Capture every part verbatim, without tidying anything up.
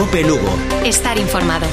Cope Lugo. Estar informado.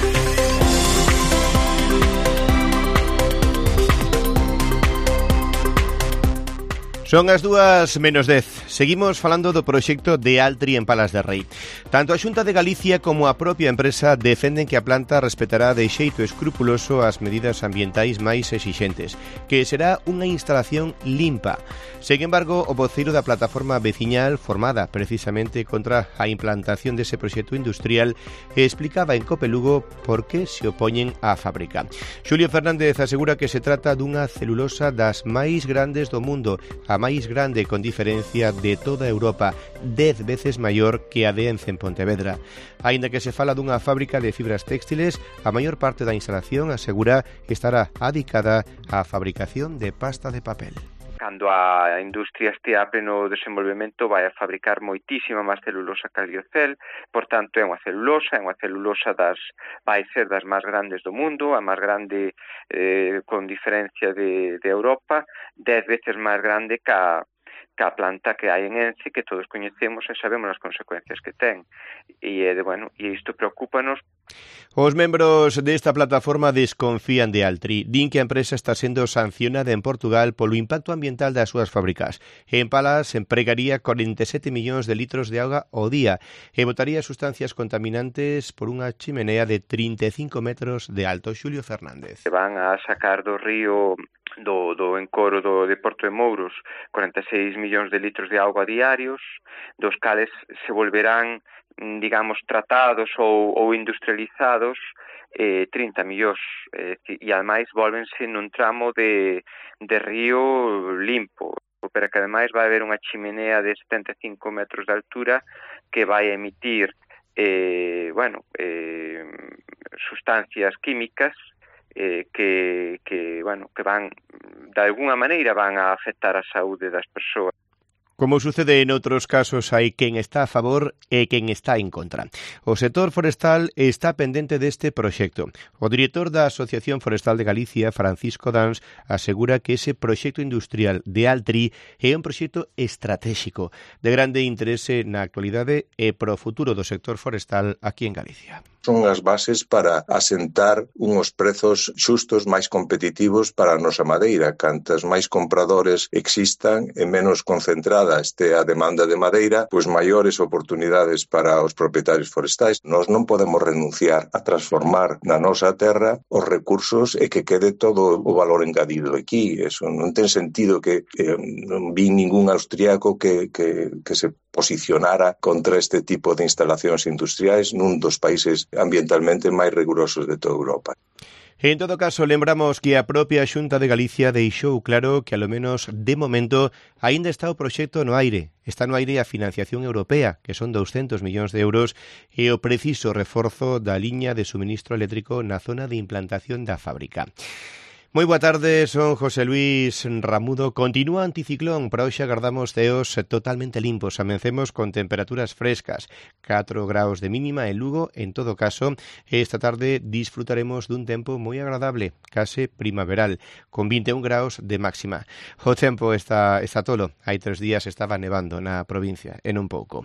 Son as dúas menos dez. Seguimos falando do proxecto de Altri en Palas de Rei. Tanto a Xunta de Galicia como a propia empresa defenden que a planta respetará de xeito escrupuloso as medidas ambientais máis exixentes, que será unha instalación limpa. Sen embargo, o voceiro da plataforma veciñal formada precisamente contra a implantación dese proxecto industrial explicaba en Cope Lugo por que se opoñen á fábrica. Xulio Fernández asegura que se trata dunha celulosa das máis grandes do mundo, a máis grande con diferencia de toda Europa, dez veces maior que a de Ence en Pontevedra. Aínda que se fala dunha fábrica de fibras textiles, a maior parte da instalación asegura estará adicada á fabricación de pasta de papel. Cando a industria estea a pleno desenvolvemento vai a fabricar moitísima máis celulosa que a liocel, por tanto é unha celulosa, é unha celulosa das, vai ser das máis grandes do mundo, a máis grande eh, con diferencia de, de Europa, dez veces máis grande que a que a planta que hai en Ence, que todos coñecemos e sabemos as consecuencias que ten. E, eh, bueno, e isto preocúpanos. Os membros desta plataforma desconfían de Altri. Din que a empresa está sendo sancionada en Portugal polo impacto ambiental das súas fábricas. En Palas empregaría corenta e sete millóns de litros de auga ao día e botaría sustancias contaminantes por unha chimenea de trinta e cinco metros de alto. Xulio Fernández. Se van a sacar do río do, do encoro do, de Porto de Mouros corenta e seis millóns de litros de auga diarios, dos cales se volverán, digamos, tratados ou, ou industrializados eh, trinta millóns, eh, e ademais volvense nun tramo de, de río limpo, pero que ademais vai haber unha chimenea de setenta e cinco metros de altura que vai emitir eh, bueno, eh, sustancias químicas Eh, que, que, bueno, que van, de alguna maneira, van a afectar a saúde das persoas. Como sucede en outros casos, hai quen está a favor e quen está en contra. O sector forestal está pendente deste proxecto. O director da Asociación Forestal de Galicia, Francisco Dans, asegura que ese proxecto industrial de Altri é un proxecto estratégico de grande interese na actualidade e pro futuro do sector forestal aquí en Galicia. Son as bases para asentar unhos prezos xustos máis competitivos para a nosa madeira. Cantas máis compradores existan e menos concentrada este a demanda de madeira, pois maiores oportunidades para os propietarios forestais. Nós non podemos renunciar a transformar na nosa terra os recursos e que quede todo o valor engadido aquí. Eso non ten sentido que eh, non vi ningún austriaco que, que, que se posicionara contra este tipo de instalacións industriais nun dos países ambientalmente máis rigurosos de toda Europa. En todo caso, lembramos que a propia Xunta de Galicia deixou claro que, alo menos de momento, aínda está o proxecto no aire. Está no aire a financiación europea, que son douscentos millóns de euros, e o preciso reforzo da liña de suministro eléctrico na zona de implantación da fábrica. Moi boa tarde, son José Luis Ramudo. Continúa anticiclón, para hoxe agardamos ceos totalmente limpos. Amencemos con temperaturas frescas, catro graus de mínima en Lugo. En todo caso, esta tarde disfrutaremos dun tempo moi agradable, case primaveral, con vinte e un graus de máxima. O tempo está, está tolo. Hai tres días estaba nevando na provincia, en un pouco.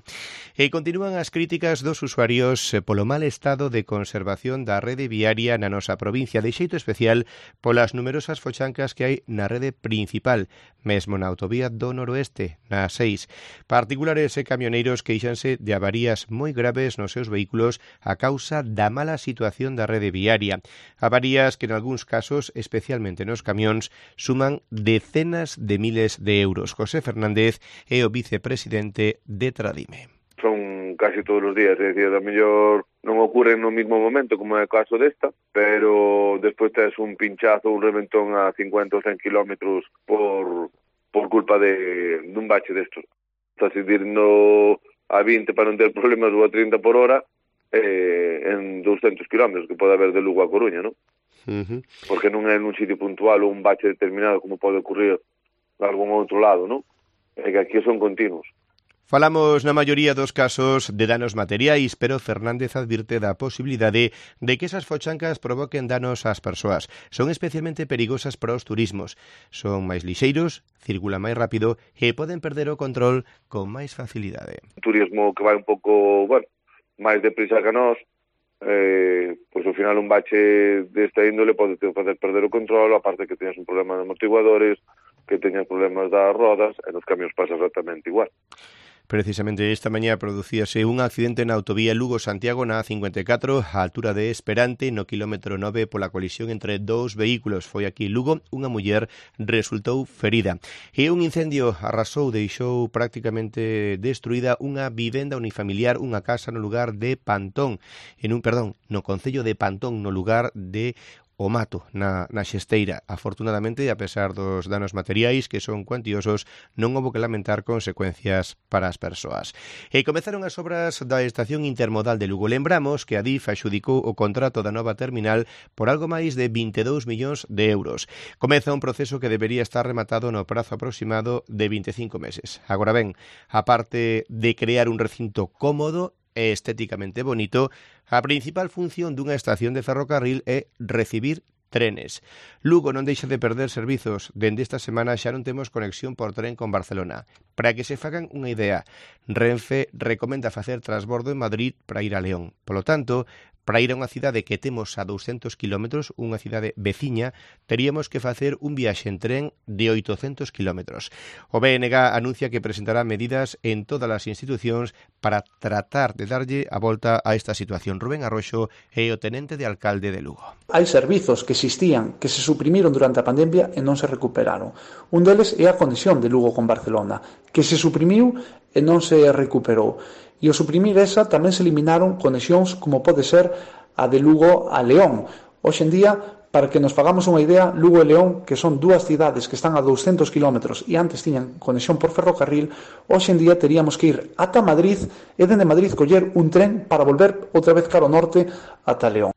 E continúan as críticas dos usuarios polo mal estado de conservación da rede viaria na nosa provincia, de xeito especial polas numerosas fochancas que hai na rede principal, mesmo na autovía do noroeste, na seis. Particulares e camioneiros queixanse de avarías moi graves nos seus vehículos a causa da mala situación da rede viaria. Avarías que, en algúns casos, especialmente nos camións, suman decenas de miles de euros. José Fernández é o vicepresidente de Tradime. Son casi todos os días, é dicir, a mellor non ocurren no mismo momento, como é o caso desta, pero despois tes un pinchazo, un reventón a cincuenta ou cen kilómetros por, por culpa de dun bache destos. Estás indo a vinte para non ter problemas ou a trinta por hora eh, en douscentos kilómetros que pode haber de Lugo a Coruña, non? Uh-huh. Porque non é nun sitio puntual ou un bache determinado como pode ocurrir en algún outro lado, non? É que aquí son continuos. Falamos na maioría dos casos de danos materiais, pero Fernández advirte da posibilidade de que esas fochancas provoquen danos ás persoas. Son especialmente perigosas para os turismos. Son máis lixeiros, circulan máis rápido e poden perder o control con máis facilidade. Un turismo que vai un pouco, bueno, máis deprisa que nós, eh, pois ao final un bache desta índole pode te facer perder o control, aparte que teñas un problema de amortiguadores, que teñas problemas das rodas, e nos camións pasa exactamente igual. Precisamente esta mañá producíase un accidente na autovía Lugo-Santiago na A cincuenta e catro, á altura de Esperante, no quilómetro nove, pola colisión entre dous vehículos. Foi aquí Lugo, unha muller resultou ferida. E un incendio arrasou, deixou prácticamente destruída unha vivenda unifamiliar, unha casa no lugar de Pantón, en un, perdón, no concello de Pantón, no lugar de o Mato, na, na Xesteira. Afortunadamente, a pesar dos danos materiais que son cuantiosos, non houbo que lamentar consecuencias para as persoas. E comezaron as obras da estación intermodal de Lugo. Lembramos que a D I F adxudicou o contrato da nova terminal por algo máis de vinte e dous millóns de euros. Comeza un proceso que debería estar rematado no prazo aproximado de vinte e cinco meses. Agora ben, a parte de crear un recinto cómodo e estéticamente bonito, a principal función dunha estación de ferrocarril é recibir trenes. Lugo non deixa de perder servizos. Dende esta semana xa non temos conexión por tren con Barcelona. Para que se fagan unha idea, Renfe recomenda facer transbordo en Madrid para ir a León. Polo tanto, para ir a unha cidade que temos a douscentos kilómetros, unha cidade veciña, teríamos que facer un viaxe en tren de oitocentos kilómetros. O B N G anuncia que presentará medidas en todas as institucións para tratar de darlle a volta a esta situación. Rubén Arroxo é o tenente de alcalde de Lugo. Hai servizos que existían, que se suprimiron durante a pandemia e non se recuperaron. Un deles é a conexión de Lugo con Barcelona, que se suprimiu e non se recuperou. E ao suprimir esa tamén se eliminaron conexións como pode ser a de Lugo a León. Hoxe en día, para que nos fagamos unha idea, Lugo e León, que son dúas cidades que están a douscentos kilómetros e antes tiñan conexión por ferrocarril, hoxe en día teríamos que ir ata Madrid e dende Madrid coller un tren para volver outra vez cara ao norte ata León.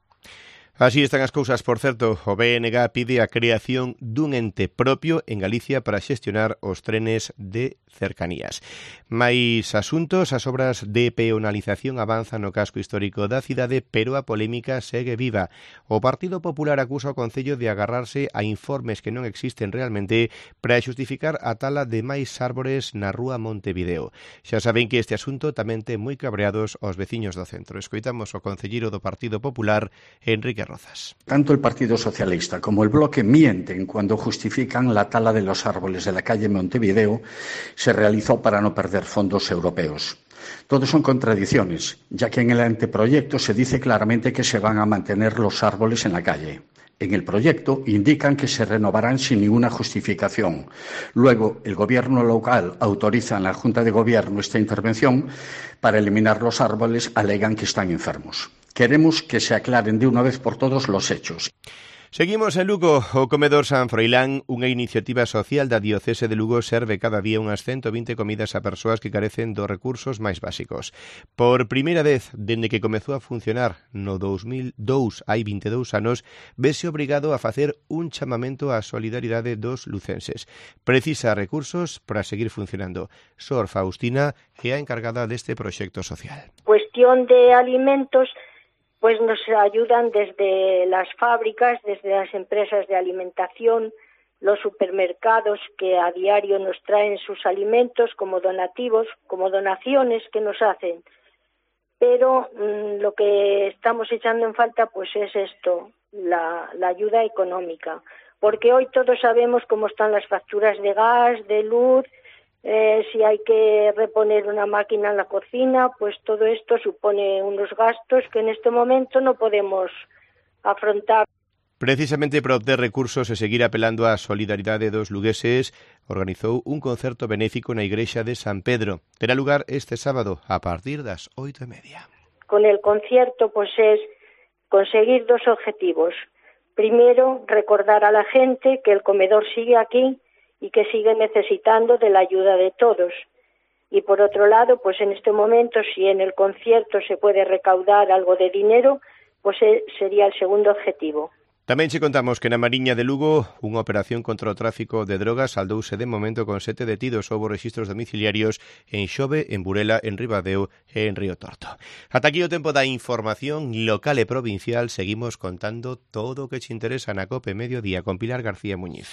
Así están as cousas, por certo. O B N G pide a creación dun ente propio en Galicia para xestionar os trenes de cercanías. Mais asuntos, as obras de peonalización avanzan no casco histórico da cidade, pero a polémica segue viva. O Partido Popular acusa o Concello de agarrarse a informes que non existen realmente para xustificar a tala de máis árbores na rúa Montevideo. Xa saben que este asunto tamén ten moi cabreados aos veciños do centro. Escoitamos o concelleiro do Partido Popular, Enrique Rozas. Tanto el Partido Socialista como el Bloque mienten cuando justifican la tala de los árboles de la calle Montevideo se realizó para no perder fondos europeos. Todo son contradicciones, ya que en el anteproyecto se dice claramente que se van a mantener los árboles en la calle. En el proyecto indican que se renovarán sin ninguna justificación. Luego, el Gobierno local autoriza en la Junta de Gobierno esta intervención para eliminar los árboles, alegan que están enfermos. Queremos que se aclaren de una vez por todos los hechos. Seguimos en Lugo. O Comedor San Froilán, unha iniciativa social da Diocese de Lugo, serve cada día unhas ciento vinte comidas a persoas que carecen dos recursos máis básicos. Por primeira vez, dende que comezou a funcionar no dous mil dous, hai vinte e dous anos, vese obrigado a facer un chamamento á solidaridade dos lucenses. Precisa recursos para seguir funcionando. Sor Faustina é a encargada deste proxecto social. Cuestión de alimentos, pues nos ayudan desde las fábricas, desde las empresas de alimentación, los supermercados que a diario nos traen sus alimentos como donativos, como donaciones que nos hacen. Pero mmm, lo que estamos echando en falta pues es esto, la, la ayuda económica. Porque hoy todos sabemos cómo están las facturas de gas, de luz. Eh, si hay que reponer una máquina en la cocina, pues todo esto supone unos gastos que en este momento no podemos afrontar. Precisamente para obter recursos e seguir apelando á solidaridade dos lugueses, organizou un concerto benéfico na igrexa de San Pedro. Terá lugar este sábado a partir das oito e media. Con el concierto pues es conseguir dos objetivos. Primero, recordar a la gente que el comedor sigue aquí y que sigue necesitando de la ayuda de todos. Y por otro lado, pues en este momento, si en el concierto se puede recaudar algo de dinero, pues sería el segundo objetivo. Tamén che contamos que na Mariña de Lugo unha operación contra o tráfico de drogas saldouse de momento con sete detidos. Houbo rexistros domiciliarios en Xove, en Burela, en Ribadeo e en Río Torto. Ata aquí o tempo da información local e provincial. Seguimos contando todo o que che interesa na COPE Mediodía con Pilar García Muñiz.